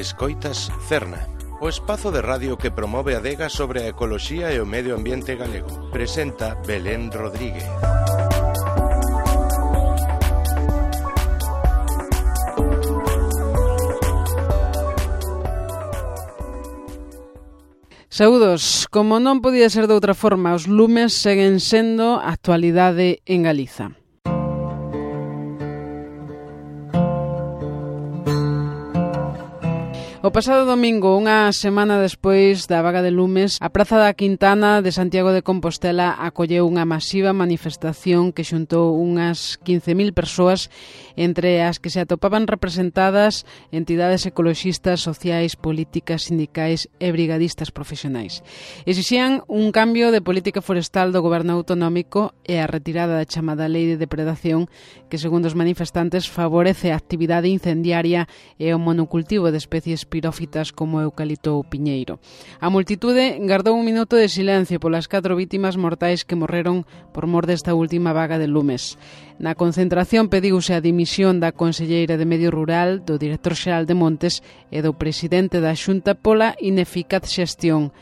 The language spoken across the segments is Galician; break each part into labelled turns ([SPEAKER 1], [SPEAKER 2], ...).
[SPEAKER 1] Escoitas Cerna, o espazo de radio que promove a adega sobre a ecoloxía e o medio ambiente galego. Presenta Belén Rodríguez.
[SPEAKER 2] Saúdos. Como non podía ser de outra forma, os lumes seguen sendo a actualidade en Galiza. O pasado domingo, unha semana despois da vaga de lumes, a Praza da Quintana de Santiago de Compostela acolleu unha masiva manifestación que xuntou unhas 15.000 persoas, entre as que se atopaban representadas entidades ecoloxistas, sociais, políticas, sindicais e brigadistas profesionais. Exixían un cambio de política forestal do goberno autonómico e a retirada da chamada lei de depredación que, segundo os manifestantes, favorece a actividade incendiaria e o monocultivo de especies pirófitas como o eucalipto ou piñeiro. A multitude gardou un minuto de silencio polas 4 vítimas mortais que morreron por mor desta última vaga de lumes. Na concentración pediuse a dimisión da conselleira de Medio Rural, do director xeral de Montes e do presidente da Xunta pola ineficaz xestión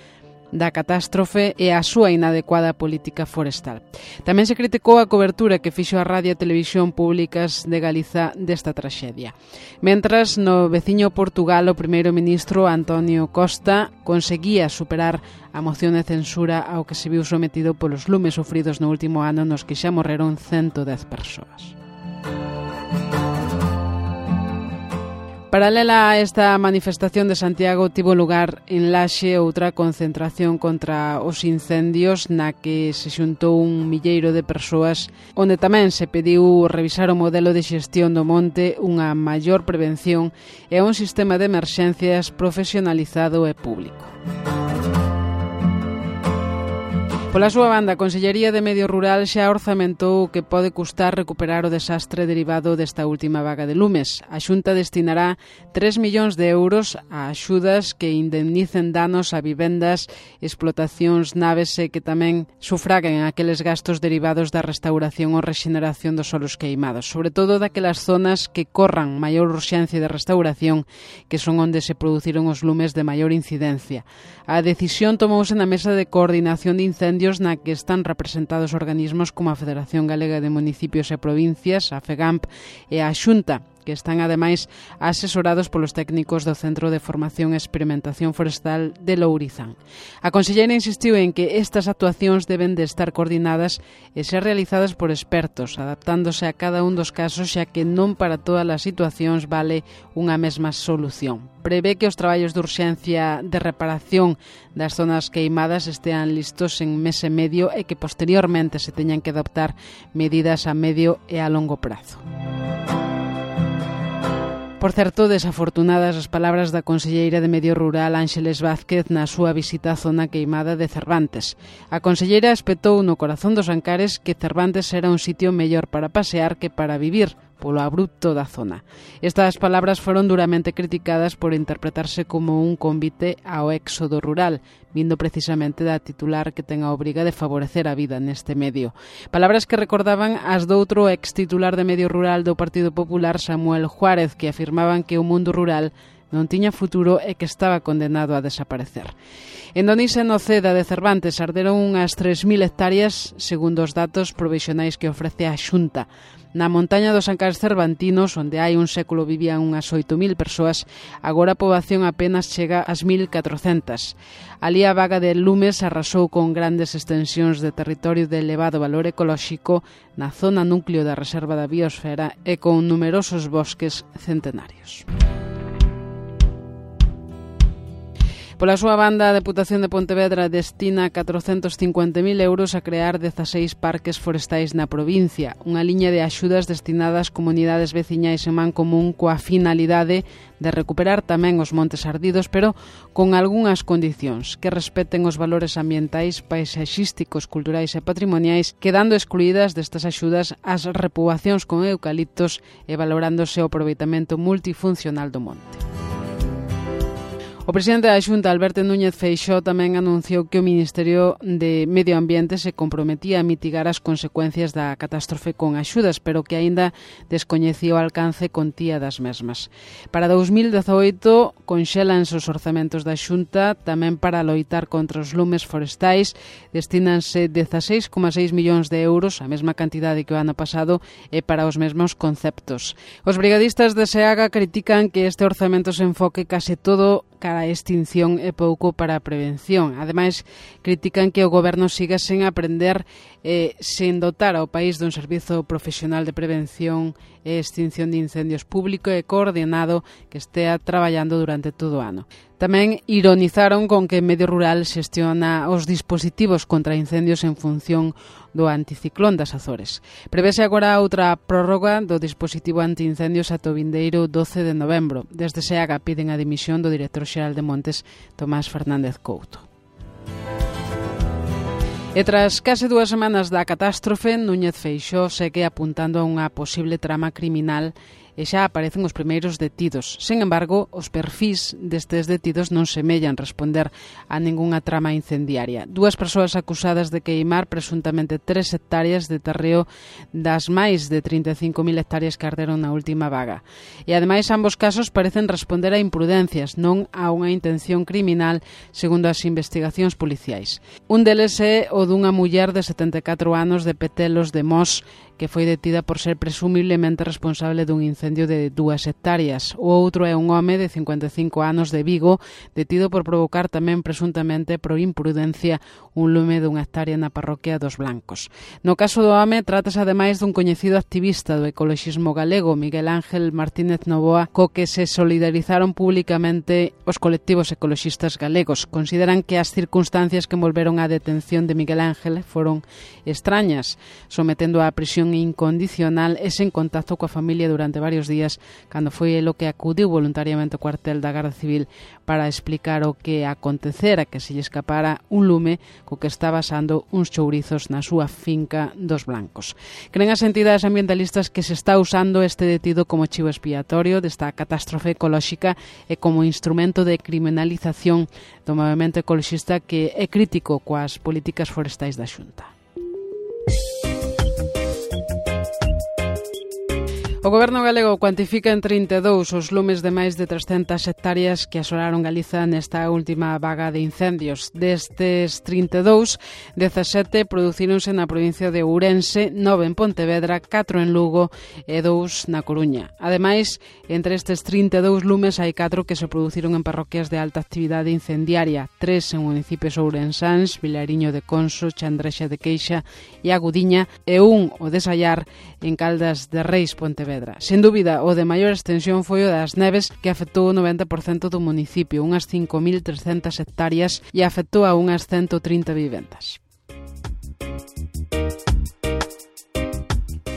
[SPEAKER 2] da catástrofe e a súa inadecuada política forestal. Tamén se criticou a cobertura que fixo a radio e televisión públicas de Galiza desta traxedia. Mentras, no veciño Portugal, o primeiro ministro Antonio Costa conseguía superar a moción de censura ao que se viu sometido polos lumes sufridos no último ano nos que xa morreron 110 persoas. Paralela a esta manifestación de Santiago, tivo lugar en Laxe outra concentración contra os incendios na que se xuntou un milleiro de persoas, onde tamén se pediu revisar o modelo de xestión do monte, unha maior prevención e un sistema de emerxencias profesionalizado e público. Pola súa banda, a Consellería de Medio Rural xa orzamentou o que pode custar recuperar o desastre derivado desta última vaga de lumes. A Xunta destinará 3 millóns de euros a axudas que indemnicen danos a vivendas, explotacións, naves e que tamén sufraguen aqueles gastos derivados da restauración ou rexeneración dos solos queimados, sobre todo daquelas zonas que corran maior urxencia de restauración, que son onde se produciron os lumes de maior incidencia. A decisión tomouse na Mesa de Coordinación de Incendios na que están representados organismos como a Federación Galega de Municipios e Provincias, a FEGAMP e a Xunta, que están ademais asesorados polos técnicos do Centro de Formación e Experimentación Forestal de Lourizán. A conselleira insistiu en que estas actuacións deben de estar coordinadas e ser realizadas por expertos, adaptándose a cada un dos casos, xa que non para todas as situacións vale unha mesma solución. Prevé que os traballos de urxencia de reparación das zonas queimadas estean listos en mes e medio e que posteriormente se teñan que adoptar medidas a medio e a longo prazo. Por certo, desafortunadas as palabras da conselleira de Medio Rural Ángeles Vázquez na súa visita á zona queimada de Cervantes. A conselleira espetou no corazón dos Ancares que Cervantes era un sitio mellor para pasear que para vivir, polo abrupto da zona. Estas palabras foron duramente criticadas por interpretarse como un convite ao éxodo rural, vindo precisamente da titular que ten a obriga de favorecer a vida neste medio. Palabras que recordaban as doutro ex-titular de Medio Rural do Partido Popular, Samuel Juárez, que afirmaban que o mundo rural non tiña futuro e que estaba condenado a desaparecer. En Donís e Noceda de Cervantes arderon unhas 3.000 hectáreas, segundo os datos provisionais que ofrece a Xunta. Na montaña dos Ancares cervantinos, onde hai un século vivían unhas 8.000 persoas, agora a poboación apenas chega ás 1.400. Alí a vaga de lumes arrasou con grandes extensións de territorio de elevado valor ecolóxico na zona núcleo da Reserva da Biosfera e con numerosos bosques centenarios. Pola súa banda, a Deputación de Pontevedra destina 450.000 euros a crear 16 parques forestais na provincia, unha liña de axudas destinadas ás comunidades veciñais en man común coa finalidade de recuperar tamén os montes ardidos, pero con algunhas condicións, que respeten os valores ambientais, paisaxísticos, culturais e patrimoniais, quedando excluídas destas axudas as repoboacións con eucaliptos e valorándose o aproveitamento multifuncional do monte. O presidente da Xunta, Alberto Núñez Feixóo, tamén anunciou que o Ministerio de Medio Ambiente se comprometía a mitigar as consecuencias da catástrofe con axudas, pero que aínda descoñecía o alcance e contía das mesmas. Para 2018 conxélanse os orzamentos da Xunta, tamén para loitar contra os lumes forestais, destínanse 16,6 millóns de euros, a mesma cantidade que o ano pasado, e para os mesmos conceptos. Os brigadistas de SEAGA critican que este orzamento se enfoque case todo cara a extinción e pouco para a prevención. Ademais, critican que o goberno siga sen aprender sen dotar ao país dun servizo profesional de prevención e extinción de incendios público e coordinado que estea traballando durante todo o ano. Tamén ironizaron con que Medio Rural xestiona os dispositivos contra incendios en función do anticiclón das Azores. Prevese agora outra prórroga do dispositivo antiincendios ata o vindeiro 12 de novembro. Desde SEAGA piden a dimisión do director xeral de Montes, Tomás Fernández Couto. E tras case 2 semanas da catástrofe, Núñez Feixóo segue apuntando a unha posible trama criminal e xa aparecen os primeiros detidos. Sen embargo, os perfís destes detidos non semellan responder a ningunha trama incendiaria. 2 persoas acusadas de queimar presuntamente 3 hectáreas de terreo das máis de 35.000 hectáreas que arderon na última vaga. E ademais, ambos casos parecen responder a imprudencias, non a unha intención criminal, segundo as investigacións policiais. Un deles é o dunha muller de 74 anos de Petelos de Mos, que foi detida por ser presumiblemente responsable dun incendio de 2 hectáreas. O outro é un home de 55 anos de Vigo, detido por provocar tamén presuntamente por imprudencia un lume dunha hectárea na parroquia dos Blancos. No caso do home, trátase ademais dun coñecido activista do ecoloxismo galego, Miguel Ángel Martínez Novoa, co que se solidarizaron públicamente os colectivos ecoloxistas galegos. Consideran que as circunstancias que envolveron a detención de Miguel Ángel foron extrañas, sometendo a prisión incondicional e sen contacto coa familia durante varios días, cando foi el o que acudiu voluntariamente ao cuartel da Garda Civil para explicar o que acontecera, que se lle escapara un lume co que estaba asando uns chourizos na súa finca dos Blancos. Creen as entidades ambientalistas que se está usando este detido como chivo expiatorio desta catástrofe ecolóxica e como instrumento de criminalización do movemento ecoloxista que é crítico coas políticas forestais da Xunta. O goberno galego cuantifica en 32 os lumes de máis de 300 hectáreas que asolaron Galiza nesta última vaga de incendios. Destes 32, 17 producíronse na provincia de Ourense, 9 en Pontevedra, 4 en Lugo e 2 na Coruña. Ademais, entre estes 32 lumes hai 4 que se produciron en parroquias de alta actividade incendiaria, 3 en municipios ourensáns, Vilariño de Conso, Chandrexa de Queixa e Agudiña, e 1, o de Sallar, en Caldas de Reis, Pontevedra. Sen dúbida, o de maior extensión foi o das neves, que afectou o 90% do municipio, unhas 5.300 hectáreas, e afectou a unhas 130 vivendas.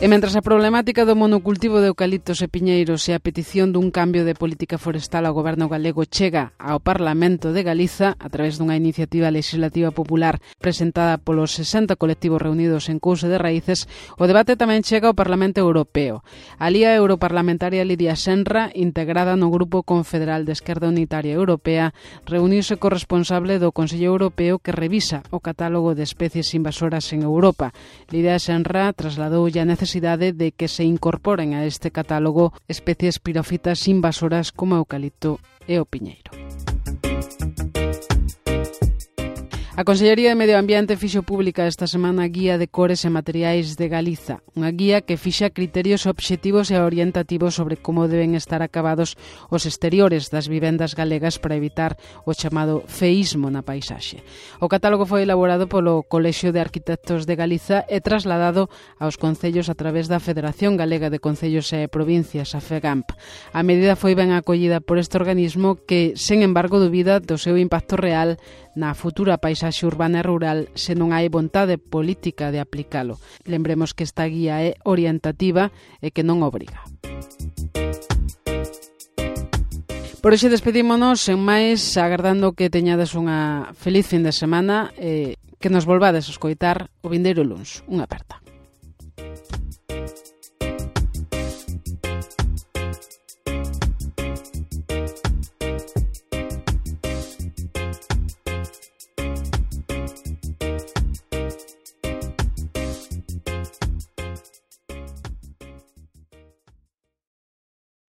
[SPEAKER 2] E mentras a problemática do monocultivo de eucaliptos e piñeiros e a petición dun cambio de política forestal ao goberno galego chega ao Parlamento de Galiza a través dunha iniciativa legislativa popular presentada polos 60 colectivos reunidos en Couce de Raíces, o debate tamén chega ao Parlamento Europeo. A Lía europarlamentaria Lidia Senra, integrada no Grupo Confederal de Esquerda Unitaria Europea, reuniuse co responsable do Consello Europeo que revisa o catálogo de especies invasoras en Europa. Lidia Senra trasladoulle a necesidade de que se incorporen a este catálogo especies pirófitas invasoras como o eucalipto e o piñeiro. A Consellería de Medio Ambiente fixo pública esta semana a Guía de Cores e Materiais de Galiza, unha guía que fixa criterios obxectivos e orientativos sobre como deben estar acabados os exteriores das vivendas galegas para evitar o chamado feísmo na paisaxe. O catálogo foi elaborado polo Colexio de Arquitectos de Galiza e trasladado aos concellos a través da Federación Galega de Concellos e Provincias, a FEGAMP. A medida foi ben acollida por este organismo que, sen embargo, dubida do seu impacto real na futura paisaxe urbana e rural se non hai vontade política de aplicalo. Lembremos que esta guía é orientativa e que non obriga. Por hoxe despedímonos, sen máis, agardando que teñades unha feliz fin de semana e que nos volvades a escoitar o vindeiro luns. Unha aperta.